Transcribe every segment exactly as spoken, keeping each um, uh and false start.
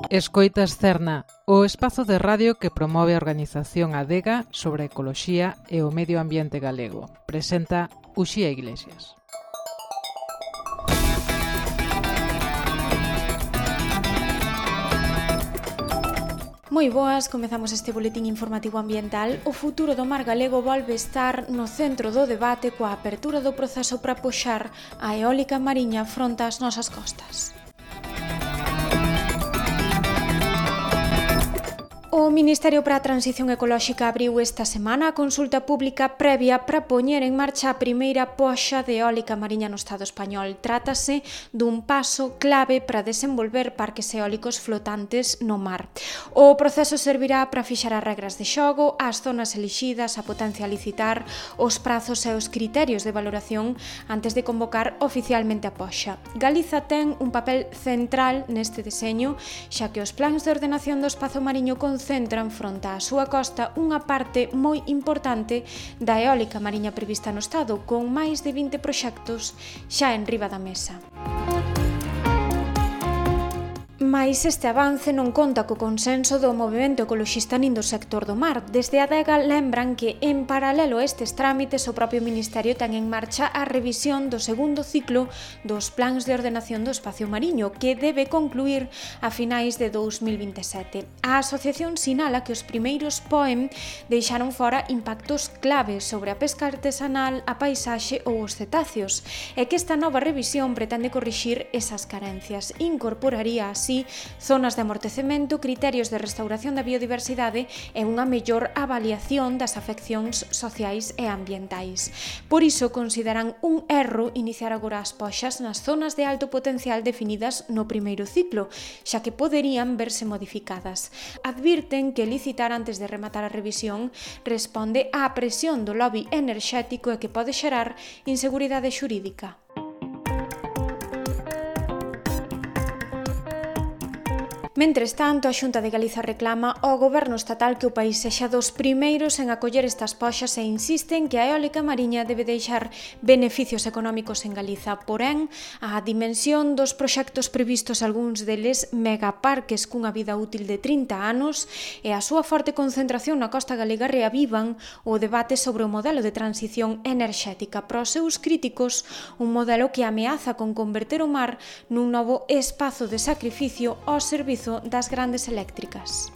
Escoitas Cerna, o espazo de radio que promove a organización Adega sobre a ecoloxía e o medio ambiente galego. Presenta Uxía Iglesias. Moi boas, comezamos este boletín informativo ambiental. O futuro do mar galego volve estar no centro do debate coa apertura do proceso para puxar a eólica mariña fronte ás nosas costas. O Ministerio para a Transición Ecolóxica abriu esta semana a consulta pública previa para poñer en marcha a primeira poxa de eólica mariña no Estado español. Trátase dun paso clave para desenvolver parques eólicos flotantes no mar. O proceso servirá para fixar as regras de xogo, as zonas elixidas, a potencia a licitar, os prazos e os criterios de valoración antes de convocar oficialmente a poxa. Galiza ten un papel central neste deseño, xa que os plans de ordenación do espazo mariño concentran fronte á súa costa unha parte moi importante da eólica mariña prevista no Estado, con máis de vinte proxectos xa en riba da mesa. Mais este avance non conta co consenso do movemento ecoloxista nin do sector do mar. Desde a Adega lembran que, en paralelo a estes trámites, o propio Ministerio ten en marcha a revisión do segundo ciclo dos plans de ordenación do espacio mariño, que debe concluir a finais de dous mil vinte e sete. A asociación sinala que os primeiros P O E M deixaron fora impactos claves sobre a pesca artesanal, a paisaxe ou os cetáceos, e que esta nova revisión pretende corrixir esas carencias. Incorporaría así zonas de amortecemento, criterios de restauración da biodiversidade e unha mellor avaliación das afeccións sociais e ambientais. Por iso consideran un erro iniciar agora as poxas nas zonas de alto potencial definidas no primeiro ciclo, xa que poderían verse modificadas. Advirten que licitar antes de rematar a revisión responde á presión do lobby enerxético e que pode xerar inseguridade xurídica. Mentres tanto, a Xunta de Galiza reclama ao Goberno estatal que o país sexa dos primeiros en acoller estas poxas e insiste en que a eólica mariña debe deixar beneficios económicos en Galiza. Porén, a dimensión dos proxectos previstos, algúns deles megaparques cunha vida útil de trinta anos, e a súa forte concentración na costa galega reavivan o debate sobre o modelo de transición enerxética. Para os seus críticos, un modelo que ameaza con converter o mar nun novo espazo de sacrificio ao servizo das grandes eléctricas.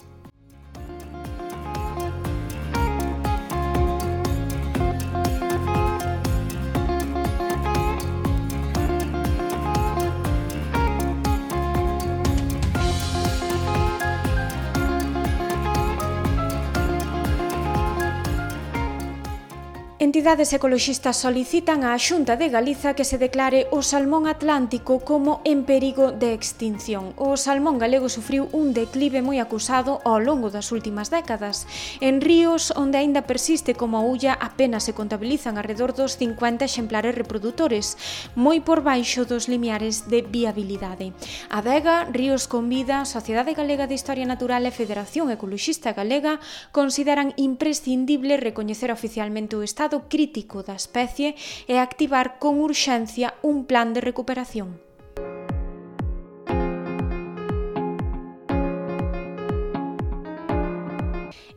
Entidades ecoloxistas solicitan á Xunta de Galiza que se declare o salmón atlántico como en perigo de extinción. O salmón galego sufriu un declive moi acusado ao longo das últimas décadas. En ríos onde aínda persiste como a ulla apenas se contabilizan alrededor dos cincuenta exemplares reprodutores, moi por baixo dos limiares de viabilidade. Adega, Ríos con Vida, Sociedade Galega de Historia Natural e Federación Ecoloxista Galega consideran imprescindible recoñecer oficialmente o estado crítico da especie e activar con urxencia un plan de recuperación.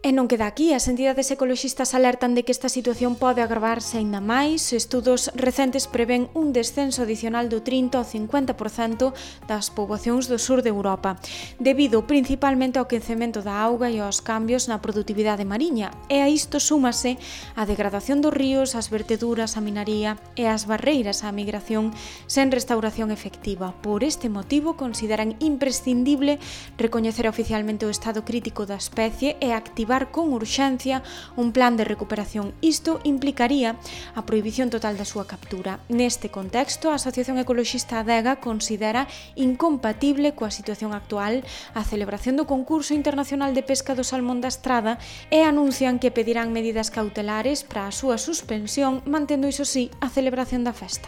E non queda aquí, as entidades ecoloxistas alertan de que esta situación pode agravarse aínda máis. Estudos recentes prevén un descenso adicional do trinta ao cincuenta por cento das poboacións do sur de Europa, debido principalmente ao quecemento da auga e aos cambios na produtividade mariña. E a isto súmase a degradación dos ríos, as verteduras, a minaría e as barreiras á migración sen restauración efectiva. Por este motivo, consideran imprescindible recoñecer oficialmente o estado crítico da especie e activar con urxencia un plan de recuperación. Isto implicaría a prohibición total da súa captura. Neste contexto, a Asociación Ecoloxista Adega considera incompatible coa situación actual a celebración do concurso internacional de pesca do salmón da Estrada e anuncian que pedirán medidas cautelares para a súa suspensión, mantendo, iso sí, a celebración da festa.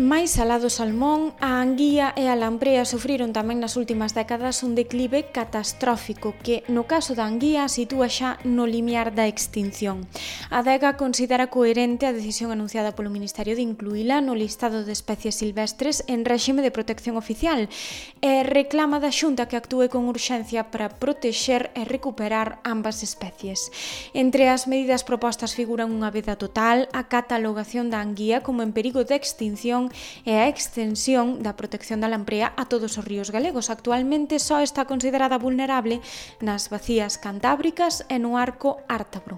Máis alá do salmón, a anguía e a lamprea sufriron tamén nas últimas décadas un declive catastrófico que, no caso da anguía, sitúa xa no limiar da extinción. A Adega considera coherente a decisión anunciada polo Ministerio de incluíla no listado de especies silvestres en réxime de protección oficial e reclama da Xunta que actúe con urxencia para protexer e recuperar ambas especies. Entre as medidas propostas figuran unha veda total, a catalogación da anguía como en perigo de extinción e a extensión da protección da lamprea a todos os ríos galegos. Actualmente só está considerada vulnerable nas bacías cantábricas e no arco ártabro.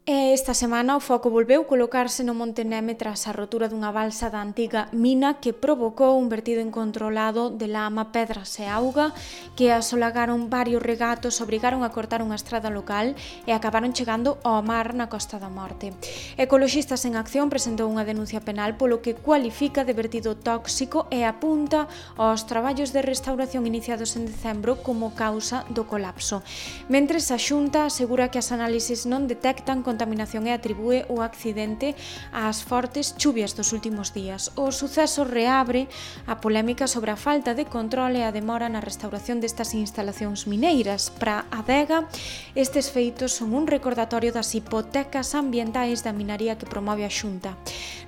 E esta semana o foco volveu colocarse no Monte Neme tras a rotura dunha balsa da antiga mina que provocou un vertido incontrolado de lama, pedras e auga que asolagaron varios regatos, obrigaron a cortar unha estrada local e acabaron chegando ao mar na Costa da Morte. Ecoloxistas en Acción presentou unha denuncia penal polo que cualifica de vertido tóxico e apunta aos traballos de restauración iniciados en decembro como causa do colapso. Mentres a Xunta asegura que as análises non detectan contaminación e atribúe o accidente ás fortes chuvias dos últimos días. O suceso reabre a polémica sobre a falta de control e a demora na restauración destas instalacións mineiras. Para a Adega, estes feitos son un recordatorio das hipotecas ambientais da minaría que promove a Xunta.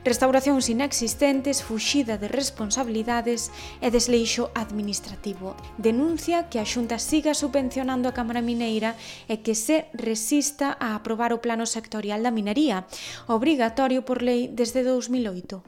Restauracións inexistentes, fuxida de responsabilidades e desleixo administrativo. Denuncia que a Xunta siga subvencionando a Cámara Mineira e que se resista a aprobar o plano sectorial da minería, obrigatorio por lei desde dous mil oito.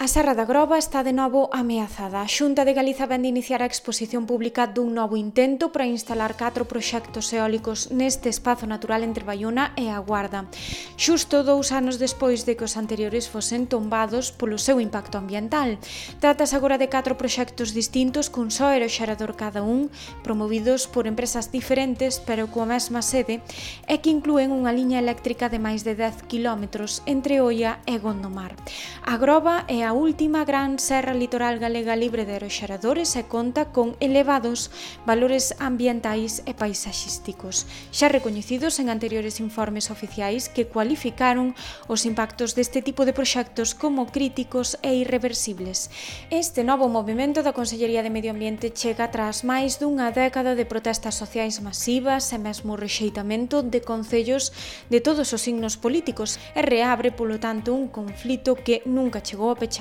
A Serra da Groba está de novo ameazada. A Xunta de Galiza vén de iniciar a exposición pública dun novo intento para instalar catro proxectos eólicos neste espazo natural entre Baiona e a Guarda, xusto dous anos despois de que os anteriores fosen tombados polo seu impacto ambiental. Trátase agora de catro proxectos distintos cun só aeroxerador cada un, promovidos por empresas diferentes pero coa mesma sede e que inclúen unha liña eléctrica de máis de dez quilómetros entre Oia e Gondomar. A Groba é a a última gran serra litoral galega libre de aeroxeradores e conta con elevados valores ambientais e paisaxísticos, xa recoñecidos en anteriores informes oficiais que cualificaron os impactos deste tipo de proxectos como críticos e irreversibles. Este novo movimento da Consellería de Medio Ambiente chega tras máis dunha década de protestas sociais masivas e mesmo rexeitamento de concellos de todos os signos políticos e reabre, polo tanto, un conflito que nunca chegou a pecharse.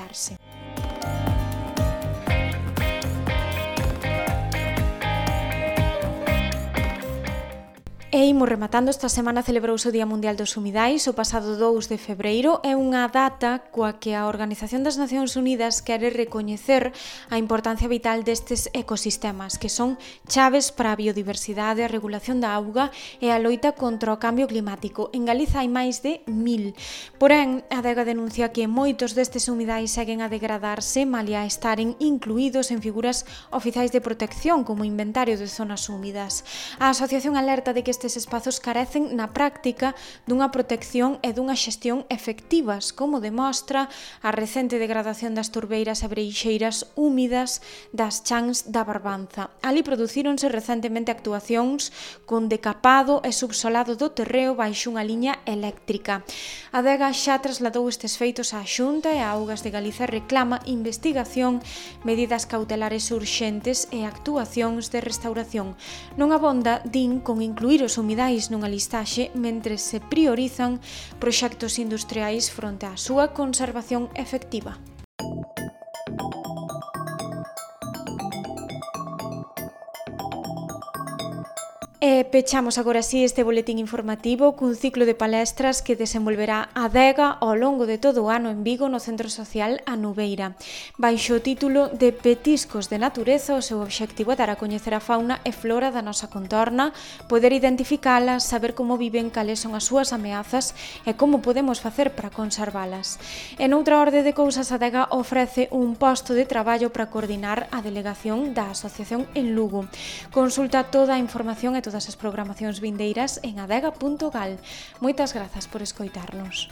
E imos rematando. Esta semana celebrouse o Día Mundial dos Humidais o pasado dous de febreiro. É unha data coa que a Organización das Nacións Unidas quere recoñecer a importancia vital destes ecosistemas, que son chaves para a biodiversidade, a regulación da auga e a loita contra o cambio climático. En Galiza hai máis de mil. Porén, a Adega denuncia que moitos destes humidais seguen a degradarse, malia estaren incluídos en figuras oficiais de protección como inventario de zonas húmidas. A asociación alerta de que estes espazos carecen na práctica dunha protección e dunha xestión efectivas, como demostra a recente degradación das turbeiras e breixeiras húmidas das chans da Barbanza. Ali producíronse recentemente actuacións con decapado e subsolado do terreo baixo unha liña eléctrica. A Adega xa trasladou estes feitos á Xunta e a Augas de Galiza reclama investigación, medidas cautelares urxentes e actuacións de restauración. Non abonda, din, con incluir os humidais nunha listaxe mentre se priorizan proxectos industriais fronte á súa conservación efectiva. E pechamos agora así este boletín informativo cun ciclo de palestras que desenvolverá a Adega ao longo de todo o ano en Vigo no Centro Social A Nubeira. Baixo o título de Petiscos de Natureza, o seu obxectivo é dar a coñecer a fauna e flora da nosa contorna, poder identificalas, saber como viven, cales son as súas ameazas e como podemos facer para conservalas. En outra orde de cousas, a Adega ofrece un posto de traballo para coordinar a delegación da Asociación en Lugo. Consulta toda a información e todas as programacións vindeiras en adega punto gal. Moitas grazas por escoitarnos.